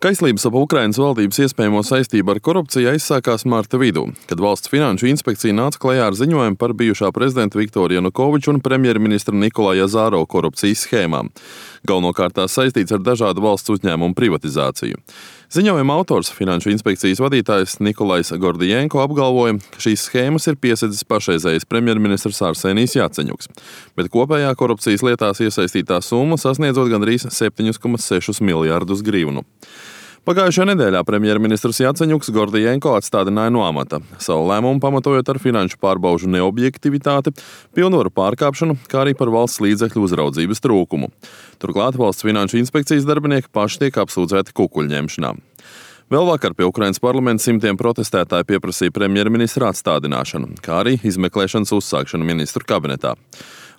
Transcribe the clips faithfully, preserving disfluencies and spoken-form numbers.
Kaislības ap Ukrainas valdības iespējamo saistību ar korupciju aizsākās marta vidū, kad Valsts finanšu inspekcija nāca klajā ar ziņojumu par bijušā prezidenta Viktora Janukoviča un premjerministra Nikolaja Azarova korupcijas schēmām. Galvenokārt tās saistīts ar dažādu valsts uzņēmumu privatizāciju. Ziņojuma autors, finanšu inspekcijas vadītājs Nikolajs Gordijenko, apgalvoja, ka šīs schēmas ir piesedzis pašreizējais premjerministrs Arsenijs Jaceņuks, bet kopējā korupcijas lietās iesaistītā summa sasniedzot gandrīz septiņus komats sešus miljardus grivnu. Pagājušajā nedēļā premjerministrs Jaceņuks Gordijenko atstādināja no amata, savu lēmumu pamatojot ar finanšu pārbaužu neobjektivitāti, pilnvaru pārkāpšanu, kā arī par valsts līdzekļu uzraudzības trūkumu. Turklāt Valsts finanšu inspekcijas darbinieki paši tiek apsūdzēti kukuļņemšanā. Vēl vakar pie Ukrainas parlamenta simtiem protestētāji pieprasīja premjerministra atstādināšanu, kā arī izmeklēšanas uzsākšanu ministru kabinetā.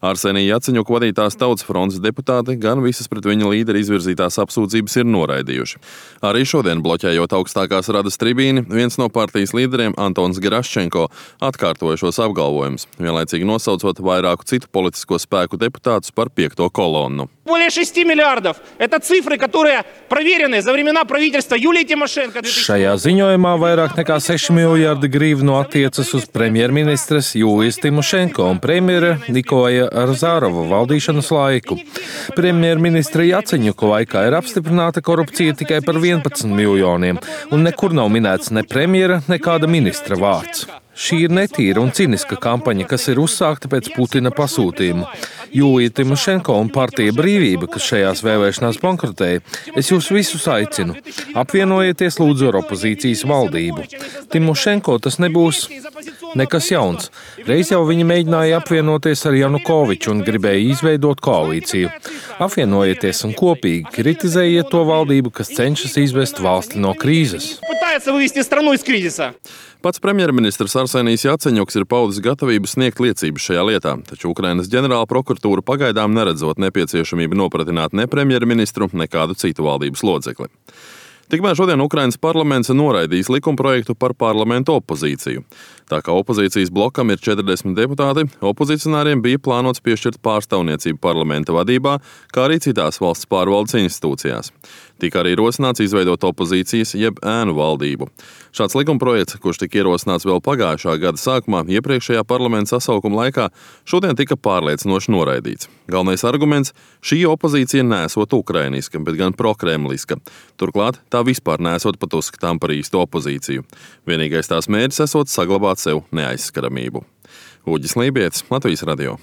Arsenija Jaceņuka vadītās Tautas frontes deputāti gan visas pret viņa līderi izvirzītās apsūdzības ir noraidījuši. Arī šodien, bloķējot augstākās radas tribīni, viens no partijas līderiem, Antons Geraščenko, atkārtoja šos apgalvojumus, vienlaicīgi nosaucot vairāku citu politisko spēku deputātus par piekto kolonnu. Более шести миллиардов. Это цифры, которые проверены за времена правительства Юлии Тимошенко. Šajā ziņojumā vairāk nekā seši miljardi grivnu attiecas uz premjerministres Jūlijas Timošenko un premjera Nikolaja Azarova valdīšanas laiku. Premjerministra Jaceņuka laikā ir apstiprināta korupcija tikai par vienpadsmit miljoniem, un nekur nav minēts ne premjera, ne kāda ministra vārds. Šī ir netīra un ciniska kampaņa, kas ir uzsākta pēc Putina pasūtījuma. Jūlija Timošenko un partija Brīvība, kas šajās vēlēšanās bankrotēja, es jūs visus aicinu. Apvienojieties lūdzu ar opozīcijas valdību. Timošenko tas nebūs nekas jauns. Reiz jau viņi mēģināja apvienoties ar Janukoviču un gribēja izveidot koalīciju. Apvienojieties un kopīgi kritizējiet to valdību, kas cenšas izvest valsti no krīzes. Pats premjerministrs Arsenijs Jaceņuks ir paudis gatavību sniegt liecības šajā lietā, taču Ukrainas ģenerāla prokuratūra pagaidām neredzot nepieciešamību nopratināt ne premjerministru, ne kādu citu valdības locekli. Tikmēr šodien Ukrainas parlaments noraidīs likumprojektu par parlamentu opozīciju. Tā kā opozīcijas blokam ir četrdesmit deputāti, opozicionāriem bija plānots piešķirt pārstāvniecību parlamenta vadībā, kā arī citās valsts pārvaldes institūcijās. Tika arī rosināts izveidot opozīcijas jeb ēnu valdību. Šāds likumprojekts, kurš tika ierosināts vēl pagājušā gada sākumā, iepriekšējā parlamenta sasaukuma laikā, šodien tika pārliecinoši noraidīts. Galvenais arguments – šī opozīcija nesot ukrainiska, bet gan prokremliska. Turklāt tā vispār nesot pat uzskatām par īstu opozīciju. Vienīgais tās mērķis esot saglabāt sev neaizskaramību. Uģis Lībietis, Latvijas radio.